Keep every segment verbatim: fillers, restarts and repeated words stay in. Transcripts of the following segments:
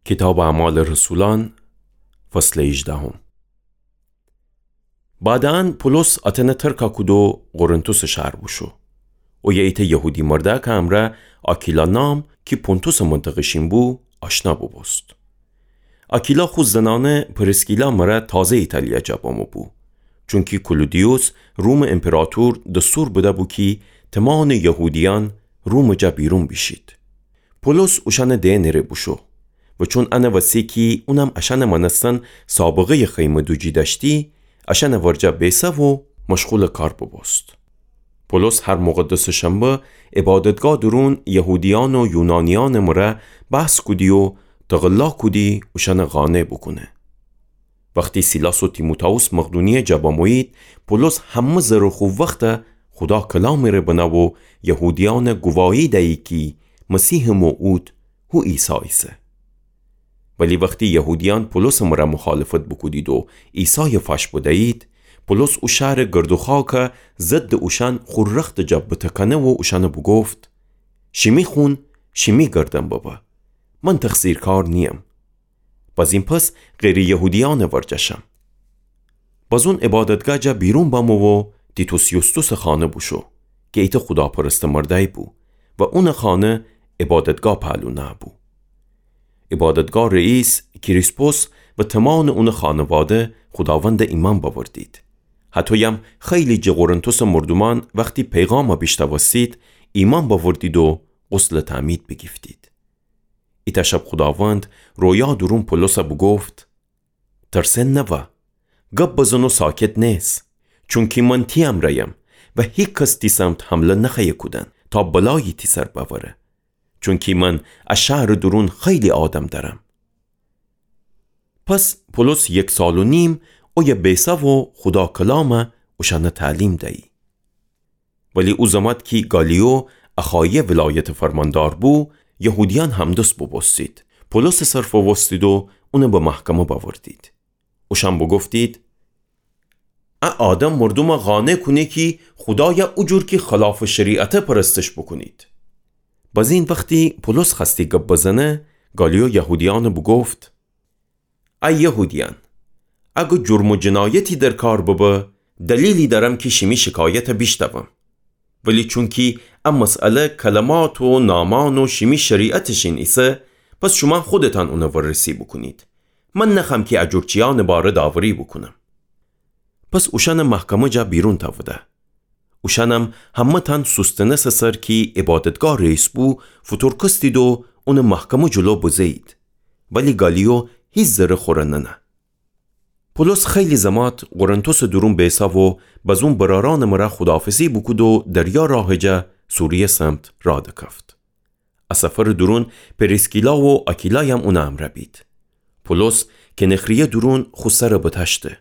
کیتابٚ اعمالٚ رسولأن، فصلٚ هیجدهم. بعداً پولس آتنَ ترکَ کود و قرنتوسٚ شهر بوشو. اویه ایتأ یهودی مردأکٚ امرأ آکیلا نام کی پونتوسٚ منطقه‌شین بو، آشنا بوبوست. آکیلا خو زنأنه پریسکیلا مرأ تازه ایتالیا جا بمو بو، چونکی کلودیوس رومٚ امپراطور دستور بده‌بو کی تمانٚ یهودیأن رومٚ جا بیرون بیشید. پولس اوشأنٚ دئنٚ ره بوشو و چون انٚ وسی کی اونم اشأنٚ مأنستن سابقه‌یٚ خیمه دوجی دأشتی، اشأنٚ ورجه بیسه و مشغولٚ کار بوبوست. پولس هر مقدسٚ شنبه عبادتگاه دورون یهودیأن و یونانیأنٚ مرأ بحث کودی و تقلا کودی اوشأنٚ قانع بوکونه. وختی سیلاس و تیموتائوس مقدونیه جا بمویید، پولس همه زرٚ خو وخت خودا کلامٚ ره بنه و یهودیأن گواهی دیی کی مسیحٚ موعود هو عیسی ایسه. ولی وختی یهودیأن پولسٚ مرأ مخالفت بوکودید و عیسای فاش بدیید، پولس او شهرٚ گرد و خاک ضدٚ اوشأن خو رختٚ جا بتکنه و اوشأن بوگفت: شیمی خون شیمی گردن ببه، من تقصیرکار نییم. بزین پس غیرٚ یهودیأنٚ ورجه شم. بزون عبادتگاه جا بیرون بمو و تیتوس یوستوسٚ خانه بوشو کی ایتأ خوداپرستٚ مردأیی بو و اونٚ خانه عبادتگاه پالونأ بو. عبادتگاه رئیس کریسپوس و تمانٚ اونٚ خانواده خوداوند ایمأن بأوردید. هطویم خیلی جٚه قرنتوسٚ مردومأن وختی پیغام بیشنوستید، ایمأن بأوردید و غسلٚ تعمید بیگیفتید. ایتأ شب خوداوند رویا دورون پولس بوگفت: ترسن نوا، گب بزن و ساکت نئس، چونکی من تی امرأیم و هیکس تی سمت حمله نخوأیه کودن تا بلایی تی سر بأوره، چونکی من ا شهرٚ دورون خیلی آدم دأرم. پس پولس یک سال و نیم اویه بیسه و خودا کلام اوشأن تعلیم دیی. ولی او زمات کی گالیو اخایه ولایتٚ فرماندار بو، یهودیأن همدس بوبوستید، پولسٚ سر فووستید و اون به محکمه بأوردید. اوشأن بوگفتید: ا آدم مردوم قانع کونه کی خودای او جور کی خلافٚ شریعته پرستش بوکونید. بزین وختی پولس خوأستی گب بزنه، گالیو یهودیأن بوگفت: ای یهودیأن، اگر جرم و جنایتی در کار ببه، دلیلی دأرم کی شیمی شکایت بیشنوم. ولی چونکی ا مسئله کلمات و نامأن و شیمی شریعتٚ شین ایسه، پس شومأن خودتأن اون وررسی بوکونید. من نخوأم کی ا جور چیأنٚ باره داوری بوکونم. پس اوشأن محکمه جا بیرون تأوده. اوشأنم همه‌تأن سوستنسٚ سر کی عبادتگاه رئیس بو، فوتورکستید و اون محکمه جلو بزه‌یید. ولی گالیو هیچ ذره خوره ننه. پولس خیلی زمات قرنتوسٚ دورون بیسه و بزون برأرأنٚ مرأ خوداحافظی بوکود و دریا راهٚ جا سوریه سمت راه دکفت. ا سفرٚ دورون پریسکیلا و آکیلایم اونٚ امرأ بید. پولس کنخریه دورون خو سر بتأشته،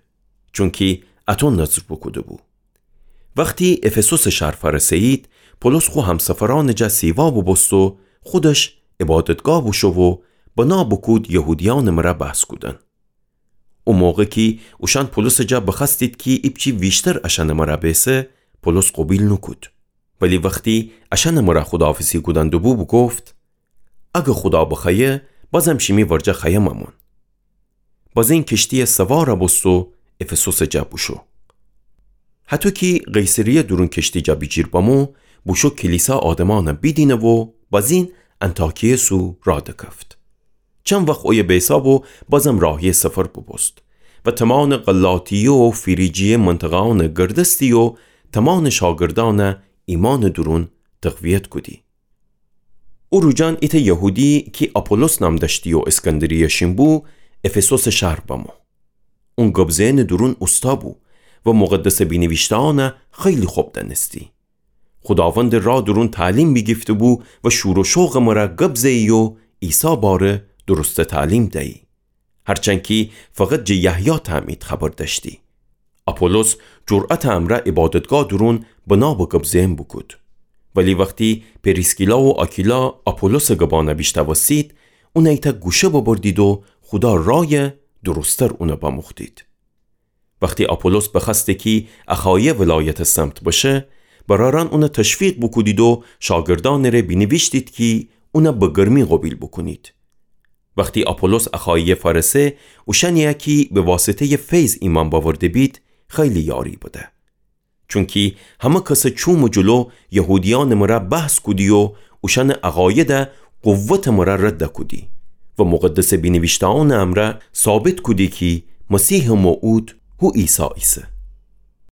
چونکی اتو نذر بوکوده بو. وختی افسوسٚ شهر فأرسه‌یید، پولس خو همسفرأنٚ جا سیوا بوبوست و خودش عبادتگاه بوشو و بنا بوکود یهودیأنٚ مرأ بحث کودن. او موقع کی اوشأن پولسٚ جا بخوأستید کی ایپچی ویشتر اشأنٚ مرأ بیسه، پولس قوبیل نوکود. ولی وختی اشأنٚ مرأ خوداحافظی کودن دوبو، بوگفت: اگر خودا بخوأیه، بازم شیمی ورجه خوأیم امون. بزین کشتیه سوار بوست و افسوسٚ جا بوشو. هطو کی قیصریه دورون کشتی جا بیجیر بمو، بوشو کلیسا آدمأن بیدینه و بزین انطاکیه سو راه دکفت. چند وخت اویه بیسه و بازم راهی سفر بوبوست و تمانٚ غلاطیه و فریجیه منطقه‌أن گردستی و تمانٚ شاگردأن ایمأنٚ دورون تقویت کودی. او روجأن ایتأ یهودی کی آپولوس نام دأشتی و اسکندریه شین بو، افسوسٚ شهر بمو. اون گب زئنٚ دورون اوستا بو و مقدسٚ بینیویشته‌أن خیلی خب دأنستی. خوداوندٚ راه دورون تعلیم بیگیفته بو و شور و شوقٚ مرأ گب زئی و عیسی باره درستٚ تعلیم دیی. هرچند کی فقط جٚه یحیی تعمید خبر دأشتی. آپولوس جرأتٚ امرأ عبادتگاه دورون بنا به گب زئن بوکود. ولی وختی پریسکیلا و آکیلا آپولوسٚ گبأن بیشنوستید، اون ایتأ گوشه ببردید و خودا رای درستر اون بموختید. وختی آپولوس بخوأسته کی اخایه ولایتٚ سمت بشه، برأرأن اون تشویق بوکودید و شاگردأنٚ ره بینیویشتید کی اون به گرمی قوبیل بوکونید. وختی آپولوس اخاییه فأرسه، اوشأنیی کی به واسطه‌یٚ فیض ایمأن بأورده بید، خیلی یاری بده. چونکی همه کسٚ چومٚ جلو یهودیأنٚ مرأ بحث کودی و اوشأنٚ عقایده قوتٚ مرأ رد کودی و مقدسٚ بینیویشته‌أنٚ امرأ ثابت کودی کی مسیحٚ موعود هو عیسی ایسه.